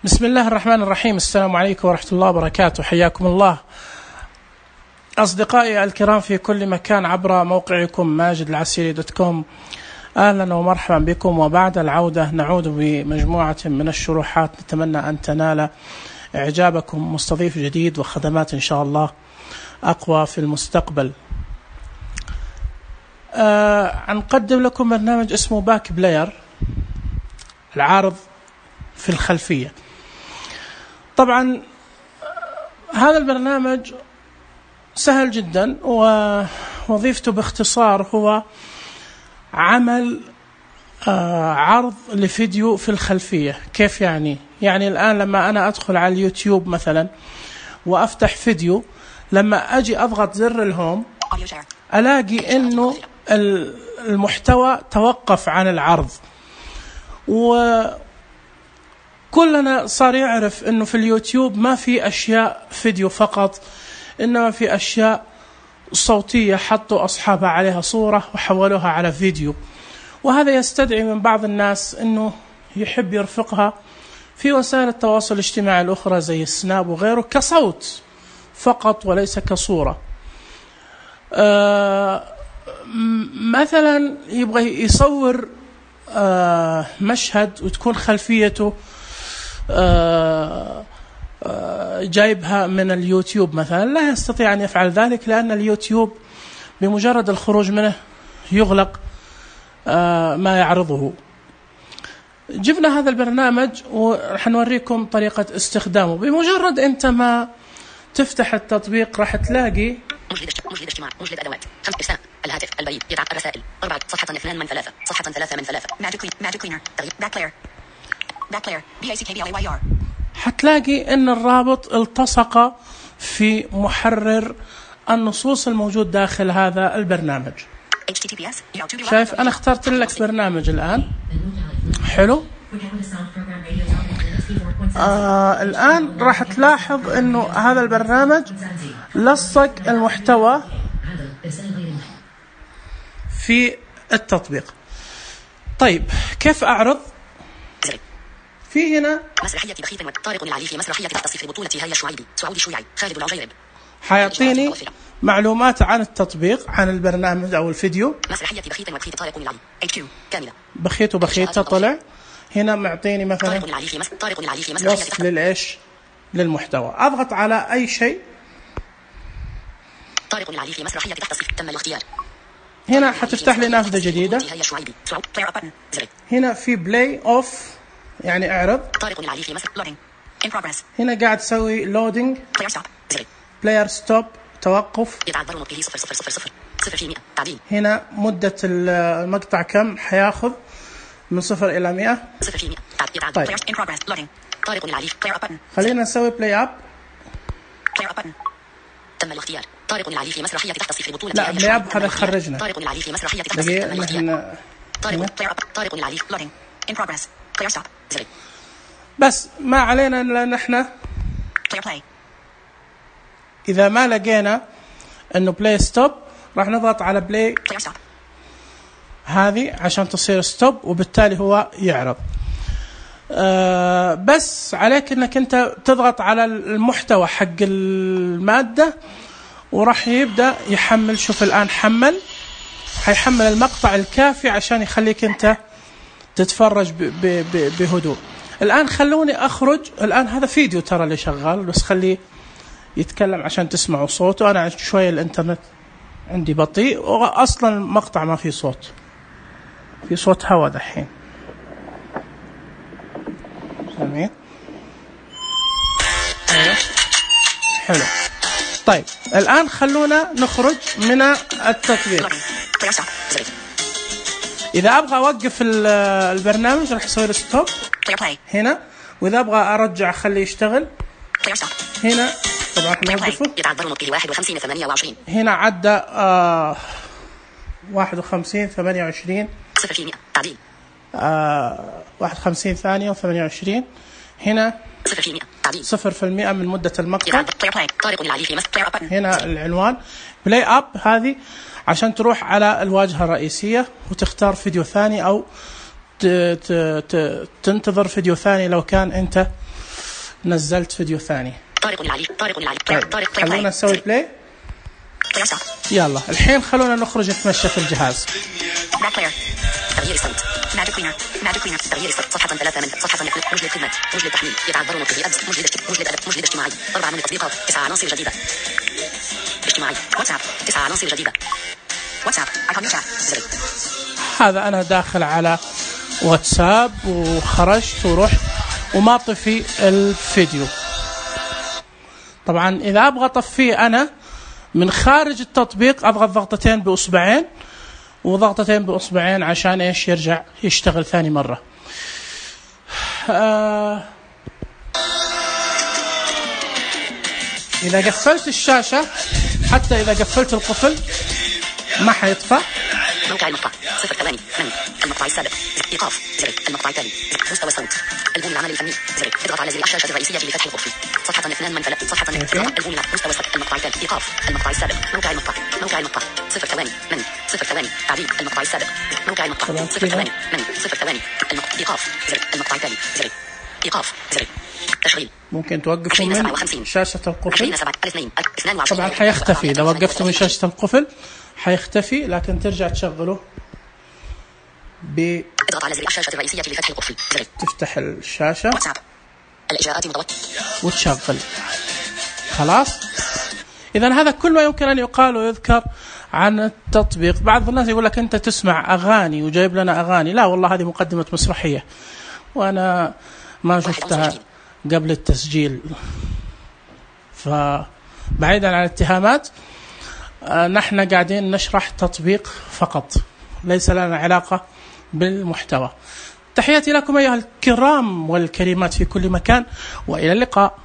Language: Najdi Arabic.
بسم الله الرحمن الرحيم. السلام عليكم ورحمة الله وبركاته. حياكم الله أصدقائي الكرام في كل مكان عبر موقعكم ماجدالعسيري.com. أهلا ومرحبا بكم. وبعد العودة نعود بمجموعة من الشروحات نتمنى أن تنال إعجابكم. مستضيف جديد وخدمات إن شاء الله أقوى في المستقبل. نقدم لكم برنامج اسمه باك بلاير، العارض في الخلفية. طبعا هذا البرنامج سهل جدا، ووظيفته باختصار هو عمل عرض لفيديو في الخلفية. كيف يعني الآن لما أنا أدخل على اليوتيوب مثلا وأفتح فيديو، لما أجي أضغط زر الهوم ألاقي إنه المحتوى توقف عن العرض، وكلنا صار يعرف إنه في اليوتيوب ما في أشياء فيديو فقط، إنما في أشياء صوتية حطوا أصحابها عليها صورة وحولوها على فيديو، وهذا يستدعي من بعض الناس إنه يحب يرفقها في وسائل التواصل الاجتماعي الأخرى زي السناب وغيره كصوت فقط وليس كصورة. مثلا يبغى يصور مشهد وتكون خلفيته جايبها من اليوتيوب مثلا، لا يستطيع أن يفعل ذلك لأن اليوتيوب بمجرد الخروج منه يغلق ما يعرضه. جبنا هذا البرنامج وحنوريكم طريقة استخدامه. بمجرد أنت ما تفتح التطبيق راح تلاقي مجلد اجتماع، مجلد أدوات، 5 إرسال، الهاتف، البريد، الرسائل، 4 صفحة 2 من 3 صفحة 3 من 3 ماجيك كلينر، باك بلاير BACKBLAYR. حتلاقي ان الرابط التصق في محرر النصوص الموجود داخل هذا البرنامج. شايف انا اخترت لك برنامج الان حلو. الآن راح تلاحظ أنه هذا البرنامج لصق المحتوى في التطبيق. طيب كيف أعرض؟ في هنا مسرحية بخيت طارق العليفي، مسرحية تختص في بطولة هيا الشعيبي، سعود الشيعي، خالد العجيرب. حيعطيني معلومات عن التطبيق، عن البرنامج أو الفيديو. مسرحية بخيت طارق العليفي HQ كاملة. بخيت طلع هنا معطيني مثلا وصف للإيش للمحتوى. أضغط على أي شيء. طارق العليفي مسرحية تختص تم الاختيار. هنا حتفتح لي نافذة جديدة. هنا في بلاي أوف يعني اعرض. طارق العليفي هنا قاعد تسوي لودينج. بلاير ستوب توقف. هنا مدة المقطع كم حياخذ من 0 إلى 100. طيب. خلينا نسوي بلاي أب. تم الاختيار. طارق العليفي مسرحية تختص في بطولة. لا بلاي أب هذا خرجنا. طارق العليفي مسرحية تختص في الاختيار. طارق العليفي loading in progress. Clear stop. بس ما علينا إلا نحن إذا ما لقينا إنه بلاي ستوب راح نضغط على بلاي هذه عشان تصير ستوب، وبالتالي هو يعرض. بس عليك انك انت تضغط على المحتوى حق المادة وراح يبدأ يحمل. شوف الآن حيحمل المقطع الكافي عشان يخليك انت تتفرج بهدوء. الآن خلوني أخرج. الآن هذا فيديو ترى اللي شغال، بس خليه يتكلم عشان تسمعوا صوته. أنا شوية الإنترنت عندي بطيء، وأصلا المقطع ما فيه صوت، في صوت هوا دحين. سامعين؟ حلو. طيب الآن خلونا نخرج من التطبيق. إذا أبغى أوقف البرنامج راح أسوي ستوب هنا، وإذا أبغى أرجع أخليه يشتغل هنا طبعا نوقفه. هنا عدى 51 28 51 ثانية و28. هنا 0% من مدة المقطع. هنا العنوان بلاي أب، هذه عشان تروح على الواجهة الرئيسية وتختار فيديو ثاني أو تنتظر فيديو ثاني لو كان أنت نزلت فيديو ثاني. طارق العلي. طيب. خلونا نسوي بلاي. يلا الحين خلونا نخرج نتمشى في الجهاز. تغيير الصوت. ماجيك كلينر. تغيير الصوت. صفحة 3 من صفحة مجلد خدمة. مجلد تحميل. يتعبرون في أبز. مجلد اجتماعي. 4 من التطبيقات. 9 عناصر جديدة. اجتماعي. واتساب. 9 عناصر جديدة. واتساب. هذا أنا داخل على واتساب وخرجت ورحت وما طفي الفيديو. طبعا إذا أبغى أطفيه أنا من خارج التطبيق أضغط ضغطتين بأصبعين وضغطتين بأصبعين عشان إيش يرجع يشتغل ثاني مرة. إذا قفلت الشاشة حتى إذا قفلت القفل ما حيطفى. موقع المقطع 0 ثواني من المقطع السابق. إيقاف زر المقطع التالي. مستوى الصوت. ألبوم العمل الفني زر اضغط على زر الشاشة الرئيسية لفتح القفل. صفحة 2 من 3 صفحة ألبوم مستوى الصوت المقطع التالي. إيقاف المقطع السابق. موقع المقطع 0 ثواني من 0 ثواني تعديل المقطع السابق. موقع المقطع 0 ثواني من 0 ثواني إيقاف زر المقطع التالي زر إيقاف زر تشغيل. ممكن توقفوا من شاشة القفل. طبعا حيختفي إذا وقفتوا من شاشة القفل حيختفي لكن ترجع تشغله اضغط على زر الشاشة الرئيسية لفتح القفل. تفتح الشاشة الإجراءات وتشغل. خلاص. إذن هذا كل ما يمكن أن يقال ويذكر عن التطبيق. بعض الناس يقول لك أنت تسمع أغاني وجايب لنا أغاني. لا والله هذه مقدمة مسرحية وأنا ما شفتها قبل التسجيل. فبعيدا عن الاتهامات نحن قاعدين نشرح تطبيق فقط ليس لنا علاقة بالمحتوى. تحياتي لكم أيها الكرام والكريمات في كل مكان وإلى اللقاء.